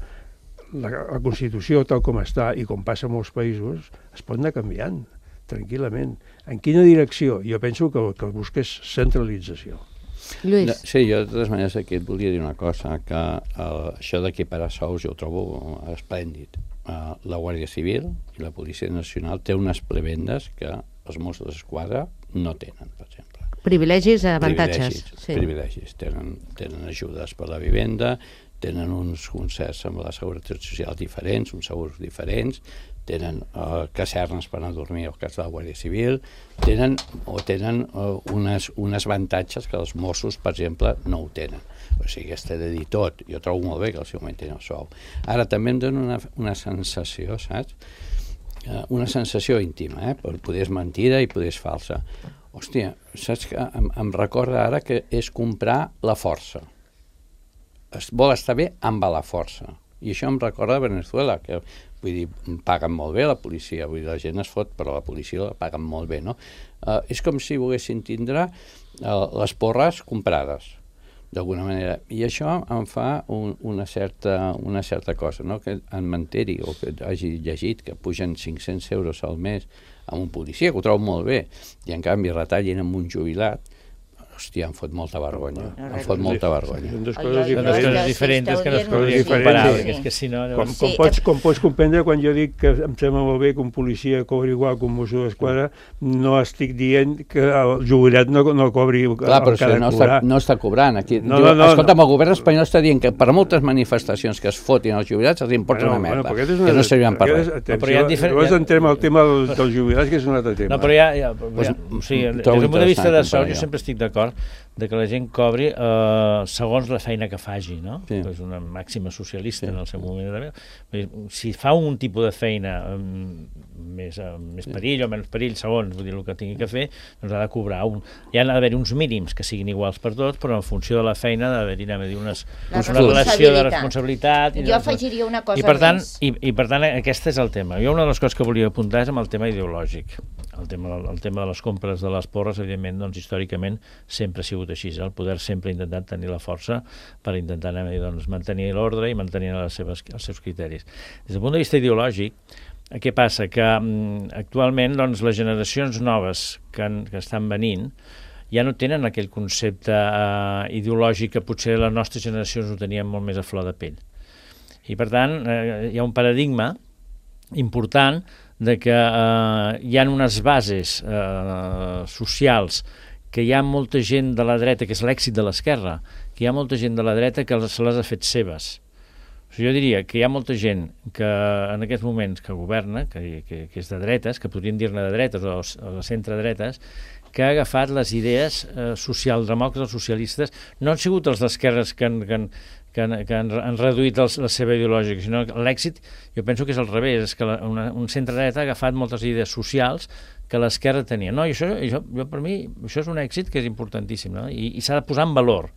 [SPEAKER 4] la Constitució, tal com està, i com passa en molts països, es pot anar canviant tranquil·lament. En quina direcció? Jo penso que el que busca és centralització.
[SPEAKER 2] Lluís.
[SPEAKER 3] Sí, jo de totes maneres aquí et volia dir una cosa, que això d'equiparar sous jo ho trobo esplèndid. La Guàrdia Civil i la Policia Nacional té unes prebendes que els Mossos d'Esquadra no tenen, per exemple.
[SPEAKER 2] Privilegis, avantatges.
[SPEAKER 3] Privilegis. Tenen ajudes per la vivenda, tenen uns concerts amb la Seguretat Social diferents, uns segurs diferents, tenen casernes per anar a dormir al cas de la Guàrdia Civil, tenen unes avantatges que els Mossos, per exemple, no ho tenen. O sigui, està de dir tot. Jo trobo molt bé que els augmentin el sou. Ara, també em dona una sensació, saps? Una sensació íntima, però poder és mentida i poder és falsa. Hòstia, saps que em recorda ara que és comprar la força. Es vol estar bé amb la força. I això em recorda Venezuela, que vull dir, paguen molt bé la policia, vull dir, la gent es fot, però la policia la paguen molt bé, no? És com si volguessin tindre les porres comprades, d'alguna manera. I això em fa una certa cosa, no? Que en m'enteri o que hagi llegit que pugen 500 euros al mes a un policia, que ho trobo molt bé, i en canvi retallin amb un jubilat. O hòstia, em fot molta vergonya. Em fot molta vergonya.
[SPEAKER 4] Són dues
[SPEAKER 6] Oi,
[SPEAKER 4] coses
[SPEAKER 6] oi,
[SPEAKER 5] Són dues
[SPEAKER 4] diferents.
[SPEAKER 5] coses diferents que no es podrien
[SPEAKER 4] diferents,
[SPEAKER 5] comparar,
[SPEAKER 4] sí.
[SPEAKER 5] perquè és que si no...
[SPEAKER 4] Com pots comprendre, quan jo dic que em sembla molt bé que un policia cobri igual que un mosso d'esquadra, no estic dient que el jubilat no cobri
[SPEAKER 3] Clar, però
[SPEAKER 4] cada cobrar.
[SPEAKER 3] no està cobrant. Aquí,
[SPEAKER 4] No,
[SPEAKER 3] diu,
[SPEAKER 4] no,
[SPEAKER 3] escolta'm, el govern espanyol està dient que per moltes manifestacions que es fotin els jubilats els importa una merda,
[SPEAKER 4] però aquest és
[SPEAKER 3] que no serviran per res.
[SPEAKER 5] Però hi ha
[SPEAKER 4] Llavors entrem al tema dels jubilats, que és un altre tema.
[SPEAKER 5] No, però o sigui, des del punt de vista de sou, jo sempre estic d'acord de que la gent cobri segons la feina que faci, no?
[SPEAKER 3] Sí.
[SPEAKER 5] És una màxima socialista en el seu moment. Si fa un tipus de feina més perill o menys perill, segons vull dir, el que tingui que fer, doncs ha de cobrar hi ha d'haver uns mínims que siguin iguals per tots, però en funció de la feina ha d'haver-hi una relació de responsabilitat.
[SPEAKER 6] Jo afegiria una cosa
[SPEAKER 5] més. I per tant, aquest és el tema. Jo una de les coses que volia apuntar és amb el tema ideològic. El tema de les compres de les porres, evidentment, doncs, històricament sempre ha sigut així. El poder sempre ha intentat tenir la força per intentar mantenir l'ordre i mantenir els seus criteris. Des del punt de vista ideològic, què passa? Que actualment les generacions noves que estan venint ja no tenen aquell concepte ideològic que potser les nostres generacions ho tenien molt més a flor de pell. I per tant, hi ha un paradigma important de que hi ha unes bases socials que hi ha molta gent de la dreta, que és l'èxit de l'esquerra, que hi ha molta gent de la dreta que se les ha fet seves. O sigui, jo diria que hi ha molta gent que en aquests moments que governa, que és de dretes, que podríem dir-ne de dretes o de centre-dretes, que ha agafat les idees socialdemòcrates o socialistes, no han sigut els d'esquerres que han reduït la seva ideològica, sinó que l'èxit, jo penso que és al revés, és que un centre-dreta ha agafat moltes idees socials que l'esquerra tenia. No, i per mi, això és un èxit que és importantíssim, no? I s'ha de posar en valor.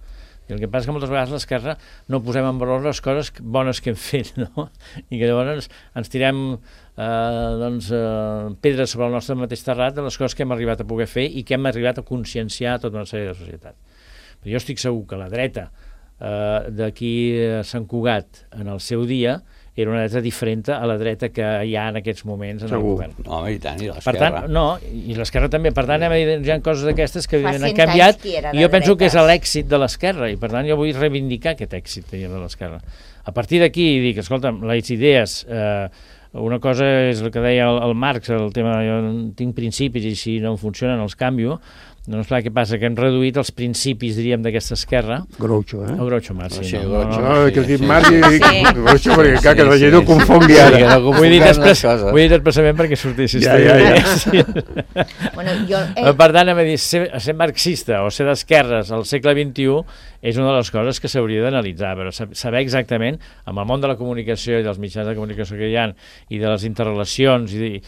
[SPEAKER 5] I el que passa és que moltes vegades l'esquerra no posem en valor les coses bones que hem fet, no? I que llavors ens tirem pedres sobre el nostre mateix terrat de les coses que hem arribat a poder fer i que hem arribat a conscienciar tota una sèrie de societat. Però jo estic segur que la dreta d'aquí Sant Cugat en el seu dia era una dreta diferent a la dreta que hi ha en aquests moments en el govern.
[SPEAKER 3] Home, i tant, i
[SPEAKER 5] Per
[SPEAKER 3] l'esquerra.
[SPEAKER 5] tant, i l'esquerra també. Per tant, hi ha coses d'aquestes que han canviat i jo penso que és l'èxit de l'esquerra i per tant jo vull reivindicar aquest èxit de l'esquerra. A partir d'aquí dic, escolta'm, les idees, una cosa és el que deia el Marx, el tema jo tinc principis i si no em funcionen els canvio. Doncs clar, què passa? Que hem reduït els principis, diríem, d'aquesta esquerra.
[SPEAKER 4] Groucho, eh?
[SPEAKER 5] O Groucho Marx, sí.
[SPEAKER 4] No, que dic Marx i dic Groucho, perquè clar, que la gent ho confongui ara.
[SPEAKER 5] Ho he dit expressament perquè sortissis. Per tant, ser marxista o ser d'esquerres al segle XXI és una de les coses que s'hauria d'analitzar, però saber exactament, amb el món de la comunicació i dels mitjans de comunicació que hi ha i de les interrelacions i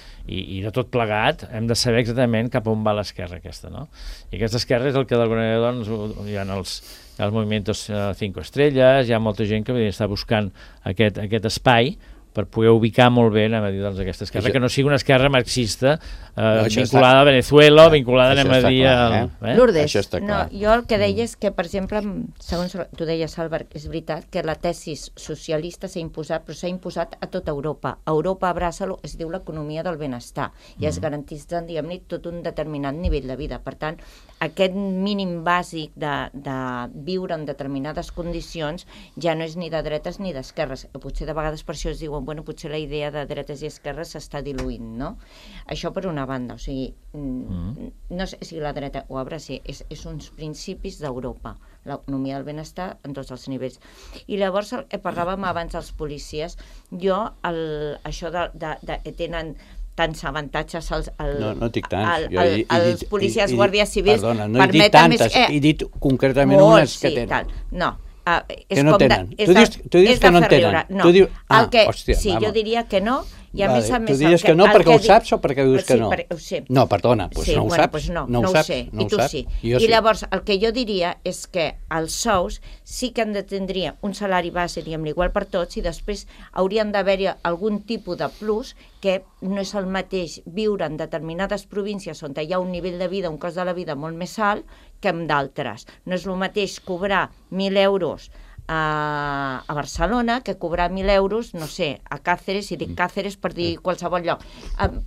[SPEAKER 5] de tot plegat, hem de saber exactament cap on va l'esquerra aquesta, no? I aquesta esquerra és el que d'alguna manera hi ha els moviments 5 estrelles, hi ha molta gent que està buscant aquest espai per poder ubicar molt bé aquesta esquerra, que no sigui una esquerra marxista vinculada a Venezuela o vinculada a
[SPEAKER 6] Lourdes, jo el que deia és que, per exemple, segons tu deies, Albert, és veritat que la tesi socialista s'ha imposat, però s'ha imposat a tota Europa. A Europa abraça-lo, es diu l'economia del benestar, i es garantitza, diguem-ne, tot un determinat nivell de vida. Per tant, aquest mínim bàsic de viure en determinades condicions ja no és ni de dretes ni d'esquerres. Potser de vegades per això es diuen, bueno, potser la idea de dretes i esquerres s'està diluint, no? Això per una banda, o sigui, no sé si la dreta ho abraça, és uns principis d'Europa, l'economia del benestar en tots els nivells. I llavors, parlàvem abans dels policies, això de tenen tants avantatges
[SPEAKER 3] no dic tants.
[SPEAKER 6] Els policies guàrdies civils.
[SPEAKER 3] Perdona, no he dit tantes, he dit concretament unes que tenen.
[SPEAKER 6] No,
[SPEAKER 3] que no tenen. Tu dius que no en tenen. Hòstia,
[SPEAKER 6] jo diria que no. I a més a més...
[SPEAKER 3] Tu diries que no perquè ho saps o perquè dius que no?
[SPEAKER 6] Sí, ho sé.
[SPEAKER 3] No, perdona, doncs no ho saps.
[SPEAKER 6] No ho sé, i tu sí. I llavors el que jo diria és que els sous sí que han de tindre un salari base, diguem-ne, igual per tots, i després haurien d'haver-hi algun tipus de plus, que no és el mateix viure en determinades províncies on hi ha un nivell de vida, un cost de la vida molt més alt que en d'altres. No és el mateix cobrar 1.000 euros a Barcelona que cobrar 1.000 euros, no sé, a Càceres, i dic Càceres per dir qualsevol lloc.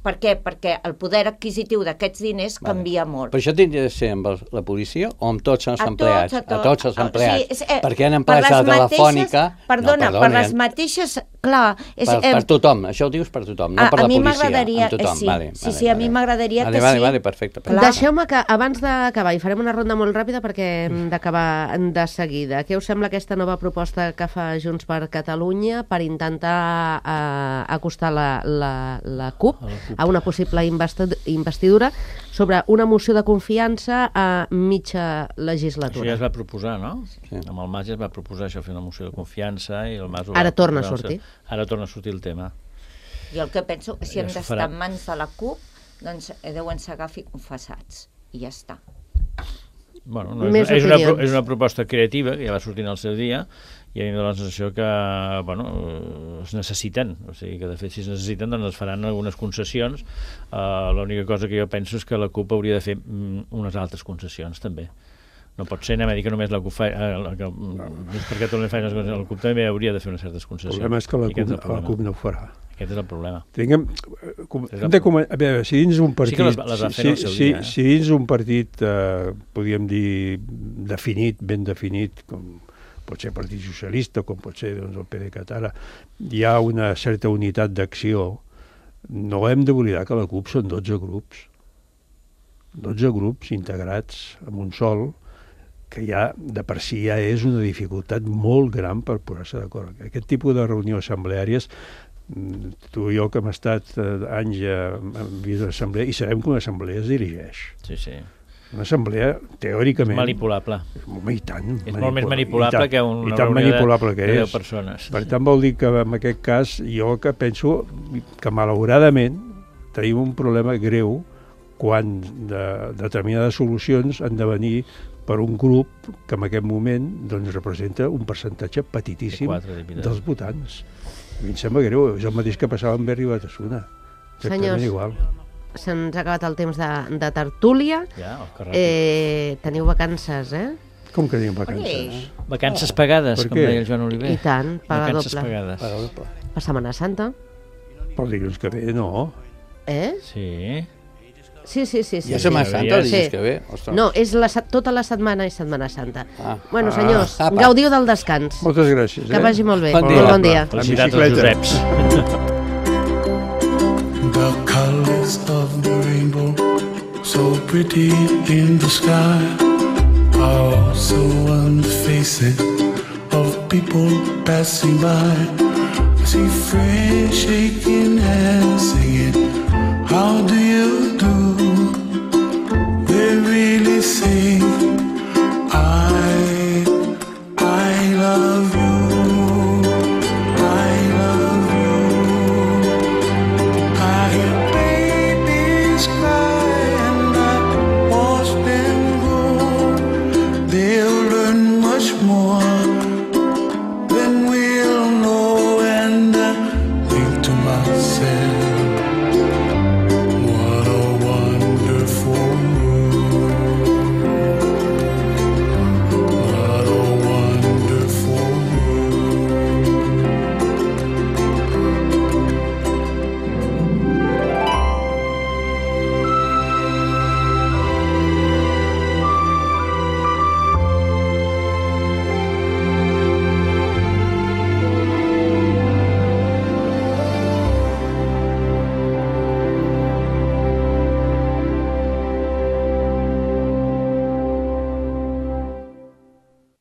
[SPEAKER 6] Per què? Perquè el poder adquisitiu d'aquests diners canvia molt.
[SPEAKER 3] Però això tindria de ser amb la policia o amb tots els empleats? A tots els empleats.
[SPEAKER 6] Sí,
[SPEAKER 3] perquè en empresa telefònica...
[SPEAKER 6] Perdona, per les mateixes... Clar...
[SPEAKER 3] Per tothom, això ho dius per tothom, no per la policia, amb tothom.
[SPEAKER 6] Sí, a mi m'agradaria que sí.
[SPEAKER 3] Vale, perfecte.
[SPEAKER 2] Deixeu-me que, abans d'acabar, i farem una ronda molt ràpida perquè hem d'acabar de seguida. Què us sembla aquesta nova proposta que fa Junts per Catalunya per intentar acostar la CUP a una possible investidura sobre una moció de confiança a mitja legislatura?
[SPEAKER 5] Això ja es va proposar, no?
[SPEAKER 3] Sí.
[SPEAKER 5] Amb el Mas ja es va proposar això, fer una moció de confiança i el Mas...
[SPEAKER 2] Ara torna a sortir.
[SPEAKER 5] Ara torna a sortir el tema.
[SPEAKER 6] Jo el que penso que si hem d'estar en mans de la CUP, doncs deuen ser confessats. I ja està.
[SPEAKER 5] Bueno, no, és una proposta creativa que ja va sortir en el seu dia i a mi em dóna la sensació que es necessiten, o sigui que de fet si es necessiten doncs es faran algunes concessions. L'única cosa que jo penso és que la CUP hauria de fer unes altres concessions també. No pot ser, anem a dir que només la CUP fa... per Catalunya fa unes concessions, la CUP també hauria de fer unes certes concessions.
[SPEAKER 4] El problema és que la CUP no ho farà.
[SPEAKER 5] Aquest és el problema.
[SPEAKER 4] A veure, si dins un partit...
[SPEAKER 5] Sí que les va fer en el seu dia.
[SPEAKER 4] Si dins un partit, podríem dir, definit, ben definit, com pot ser el Partit Socialista, com pot ser el PDeCAT ara, hi ha una certa unitat d'acció. No hem d'oblidar que la CUP són 12 grups. 12 grups integrats en un sol, que ja de per si ja és una dificultat molt gran per posar-se d'acord. Aquest tipus de reunió assembleàries, tu i jo que hem estat anys en vist l'assemblea i sabem que una assemblea es dirigeix.
[SPEAKER 5] Sí, sí.
[SPEAKER 4] Una assemblea, teòricament...
[SPEAKER 5] Manipulable.
[SPEAKER 4] I tant.
[SPEAKER 5] És molt més manipulable que una reunió de 10 persones.
[SPEAKER 4] Per tant, vol dir que en aquest cas jo que penso que malauradament tenim un problema greu quan determinades solucions han de venir per un grup que en aquest moment doncs, representa un percentatge petitíssim dels votants. A mi em sembla greu, és el mateix que passava amb Berri i Batasuna.
[SPEAKER 2] Senyors,
[SPEAKER 4] igual.
[SPEAKER 2] Se'ns ha acabat el temps de tertúlia.
[SPEAKER 5] Ja,
[SPEAKER 2] teniu vacances, eh?
[SPEAKER 4] Com que tenim vacances?
[SPEAKER 5] Vacances pagades, com deia el Joan Oliver.
[SPEAKER 2] I tant, paga
[SPEAKER 5] vacances
[SPEAKER 2] doble.
[SPEAKER 5] Pagades.
[SPEAKER 2] Per Setmana Santa.
[SPEAKER 4] Per dilluns que ve, no.
[SPEAKER 5] Sí.
[SPEAKER 2] Sí.
[SPEAKER 3] Ja Setmana Santa el dilluns que ve? Ostres.
[SPEAKER 2] No, és tota la setmana és Setmana Santa. Bueno, senyors, gaudiu del descans.
[SPEAKER 4] Moltes gràcies.
[SPEAKER 2] Que vagi molt bé.
[SPEAKER 3] Bon dia.
[SPEAKER 5] Felicitats als Joseps.
[SPEAKER 1] The colors of the rainbow, so pretty in the sky, are also on the faces of people passing by. I see friends shaking hands, singing, how do you